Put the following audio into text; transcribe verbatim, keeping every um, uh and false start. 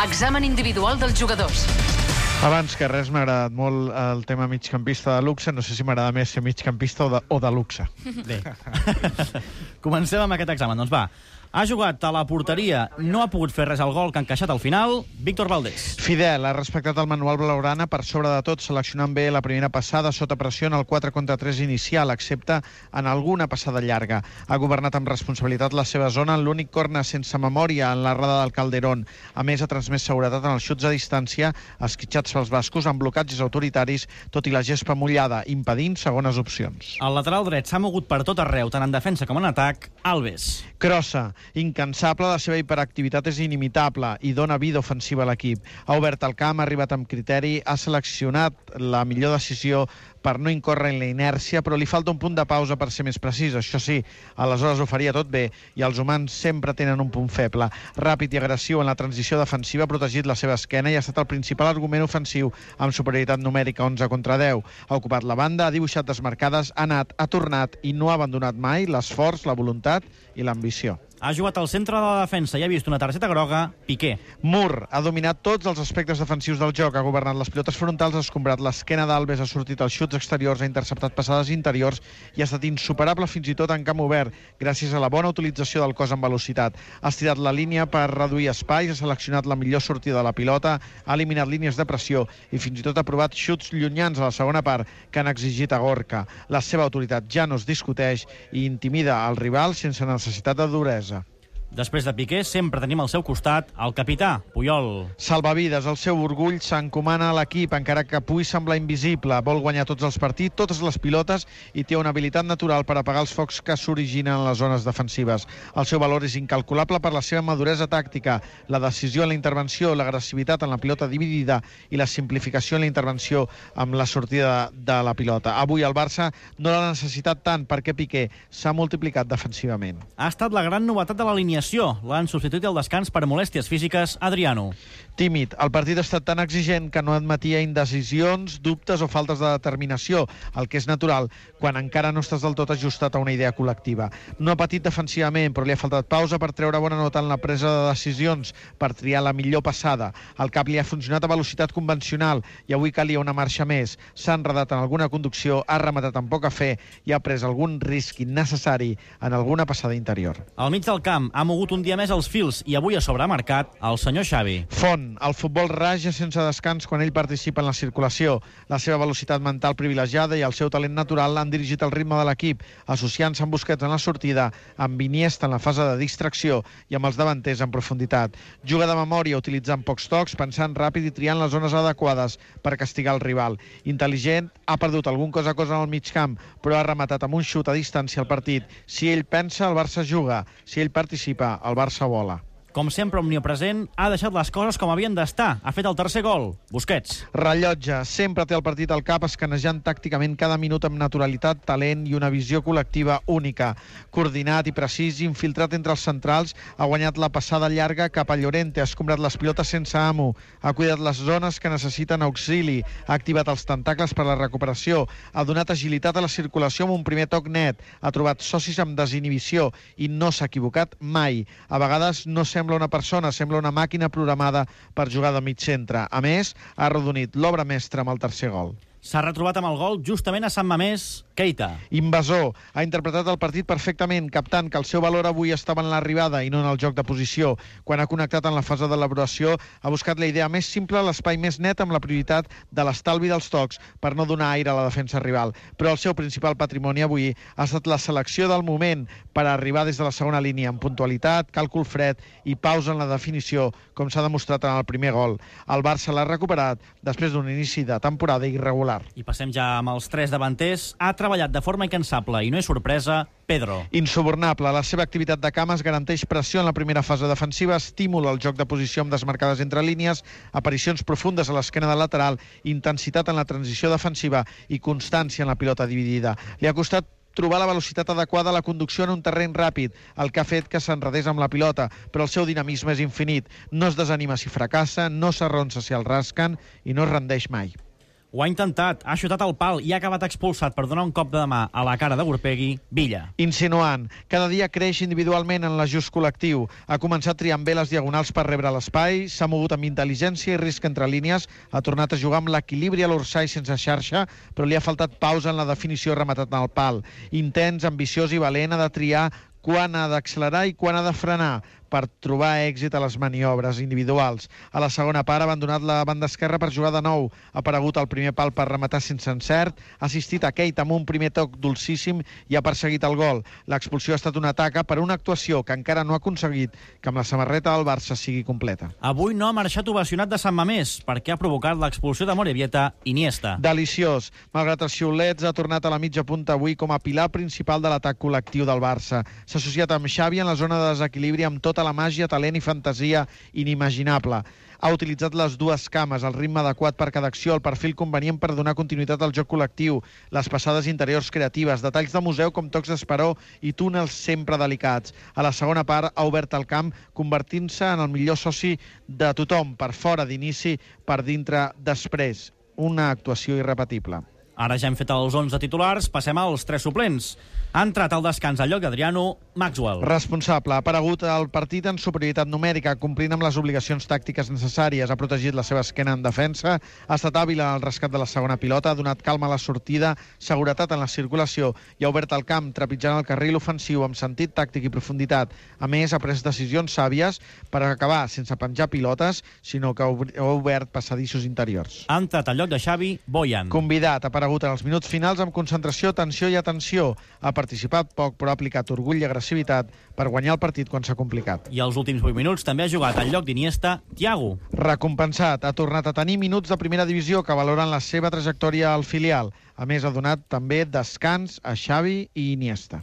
Examen individual dels jugadors. Abans que res, m'ha agradat molt el tema migcampista de luxe. No sé si m'agrada més ser migcampista o de, o de luxe. Bé. Comencem amb aquest examen. Doncs va, ha jugat a la porteria, no ha pogut fer res al gol que ha encaixat al final, Víctor Valdés. Fidel, ha respectat el manual blaugrana per sobre de tot, seleccionant bé la primera passada sota pressió en el quatre contra tres inicial, excepte en alguna passada llarga. Ha governat amb responsabilitat la seva zona en l'únic corna sense memòria en la rada del Calderón. A més, ha transmès seguretat en els xuts a distància, esquitxats pels bascos amb blocatges autoritaris, tot i la gespa mullada, impedint segones opcions. El lateral dret s'ha mogut per tot arreu, tant en defensa com en atac, Alves. Crossa, incansable, la seva hiperactivitat és inimitable i dona vida ofensiva a l'equip. Ha obert el camp, ha arribat amb criteri, ha seleccionat la millor decisió per no incórrer en la inèrcia, però li falta un punt de pausa per ser més precís. Això sí, aleshores ho faria tot bé i els humans sempre tenen un punt feble. Ràpid i agressiu en la transició defensiva, ha protegit la seva esquena i ha estat el principal argument ofensiu amb superioritat numèrica onze contra deu. Ha ocupat la banda, ha dibuixat desmarcades, ha anat, ha tornat i no ha abandonat mai l'esforç, la voluntat i l'ambició. Ha jugat al centre de la defensa i ha vist una targeta groga, Piqué. Mur ha dominat tots els aspectes defensius del joc, ha governat les pilotes frontals, ha escombrat l'esquena d'Alves, ha sortit als xuts exteriors, ha interceptat passades interiors i ha estat insuperable fins i tot en camp obert, gràcies a la bona utilització del cos en velocitat. Ha estirat la línia per reduir espais, ha seleccionat la millor sortida de la pilota, ha eliminat línies de pressió i fins i tot ha provat xuts llunyans a la segona part que han exigit a Gorka. La seva autoritat ja no es discuteix i intimida el rival sense necessitat de duresa. Després de Piqué, sempre tenim al seu costat el capità, Puyol. Salvavides, el seu orgull s'encomana a l'equip, encara que pugui semblar invisible. Vol guanyar tots els partits, totes les pilotes, i té una habilitat natural per apagar els focs que s'originen en les zones defensives. El seu valor és incalculable per la seva maduresa tàctica, la decisió en la intervenció, l'agressivitat en la pilota dividida i la simplificació en la intervenció amb la sortida de la pilota. Avui el Barça no l'ha necessitat tant perquè Piqué s'ha multiplicat defensivament. Ha estat la gran novetat de la línia. L'han substituït al descans per molèsties físiques, Adriano. Tímid. El partit ha estat tan exigent que no admetia indecisions, dubtes o faltes de determinació, el que és natural quan encara no estàs del tot ajustat a una idea col·lectiva. No ha patit defensivament, però li ha faltat pausa per treure bona nota en la presa de decisions, per triar la millor passada. El cap li ha funcionat a velocitat convencional i avui calia una marxa més. S'ha enredat en alguna conducció, ha rematat amb poca fe i ha pres algun risc innecessari en alguna passada interior. Al mig del camp ha mogut un dia més els fils i avui a sobre ha marcat el senyor Xavi. Font. El futbol raja sense descans quan ell participa en la circulació. La seva velocitat mental privilegiada i el seu talent natural han dirigit el ritme de l'equip, associant-se amb Busquets en la sortida, amb Iniesta en la fase de distracció i amb els davanters en profunditat. Juga de memòria, utilitzant pocs tocs, pensant ràpid i triant les zones adequades per castigar el rival. Intel·ligent, ha perdut algun cos a cos en el mig camp, però ha rematat amb un xut a distància el partit. Si ell pensa, el Barça juga. Si ell participa, el Barça vola. Com sempre omnipresent, ha deixat les coses com havien d'estar. Ha fet el tercer gol, Busquets. Rellotge, sempre té el partit al cap, escanejant tàcticament cada minut amb naturalitat, talent i una visió col·lectiva única. Coordinat i precís, infiltrat entre els centrals, ha guanyat la passada llarga cap a Llorente, ha escombrat les pilotes sense amo, ha cuidat les zones que necessiten auxili, ha activat els tentacles per a la recuperació, ha donat agilitat a la circulació amb un primer toc net, ha trobat socis amb desinhibició i no s'ha equivocat mai. A vegades no sembla una persona, sembla una màquina programada per jugar de mig centre. A més, ha arrodonit l'obra mestra amb el tercer gol. S'ha retrobat amb el gol justament a Sant Mamés, Keita. Invasor. Ha interpretat el partit perfectament, captant que el seu valor avui estava en l'arribada i no en el joc de posició. Quan ha connectat en la fase d'elaboració, ha buscat la idea més simple, l'espai més net, amb la prioritat de l'estalvi dels tocs per no donar aire a la defensa rival. Però el seu principal patrimoni avui ha estat la selecció del moment per arribar des de la segona línia amb puntualitat, càlcul fred i pausa en la definició, com s'ha demostrat en el primer gol. El Barça l'ha recuperat després d'un inici de temporada irregular. I passem ja amb els tres davanters. Ha treballat de forma incansable i no és sorpresa, Pedro. Insubornable. La seva activitat de cames garanteix pressió en la primera fase defensiva, estímul al joc de posició amb desmarcades entre línies, aparicions profundes a l'esquena del lateral, intensitat en la transició defensiva i constància en la pilota dividida. Li ha costat trobar la velocitat adequada a la conducció en un terreny ràpid, el que ha fet que s'enredés amb la pilota, però el seu dinamisme és infinit. No es desanima si fracassa, no s'arronsa si el rasquen i no es rendeix mai. Ho ha intentat, ha xutat al pal i ha acabat expulsat per donar un cop de mà a la cara de Gurpegui, Villa. Insinuant. Cada dia creix individualment en l'ajust col·lectiu. Ha començat triant bé les diagonals per rebre l'espai, s'ha mogut amb intel·ligència i risc entre línies, ha tornat a jugar amb l'equilibri a l'orsai sense xarxa, però li ha faltat pausa en la definició rematat en el pal. Intens, ambiciós i valent, ha de triar quan ha d'accelerar i quan ha de frenar per trobar èxit a les maniobres individuals. A la segona part ha abandonat la banda esquerra per jugar de nou. Ha aparegut al primer pal per rematar sense encert, ha assistit a Keita amb un primer toc dolcíssim i ha perseguit el gol. L'expulsió ha estat una taca per una actuació que encara no ha aconseguit que amb la samarreta del Barça sigui completa. Avui no ha marxat ovacionat de Sant Mamés perquè ha provocat l'expulsió de Morevieta Iniesta. Deliciós. Malgrat els xiulets, ha tornat a la mitja punta avui com a pilar principal de l'atac col·lectiu del Barça. S'ha associat amb Xavi en la zona de desequilibri amb tota la màgia, talent i fantasia inimaginable. Ha utilitzat les dues cames, el ritme adequat per cada acció, el perfil convenient per donar continuïtat al joc col·lectiu, les passades interiors creatives, detalls de museu com tocs d'esperó i túnels sempre delicats. A la segona part ha obert el camp, convertint-se en el millor soci de tothom, per fora d'inici, per dintre després. Una actuació irrepetible. Ara ja hem fet els onze titulars, passem als tres suplents. Ha entrat al descans al lloc d'Adriano Maxwell. Responsable. Ha aparegut al partit en superioritat numèrica, complint amb les obligacions tàctiques necessàries. Ha protegit la seva esquena en defensa, ha estat hàbil en el rescat de la segona pilota, ha donat calma a la sortida, seguretat en la circulació i ha obert el camp, trepitjant el carril ofensiu amb sentit tàctic i profunditat. A més, ha pres decisions sàvies per acabar sense penjar pilotes, sinó que ha obert passadissos interiors. Ha entrat al lloc de Xavi Boyan. Convidat. Ha aparegut en els minuts finals amb concentració, tensió i atenció. Ha participat poc, però ha aplicat orgull i agressivitat per guanyar el partit quan s'ha complicat. I els últims vuit minuts també ha jugat al lloc d'Iniesta Thiago. Recompensat. Ha tornat a tenir minuts de primera divisió que valoren la seva trajectòria al filial. A més, ha donat també descans a Xavi i Iniesta.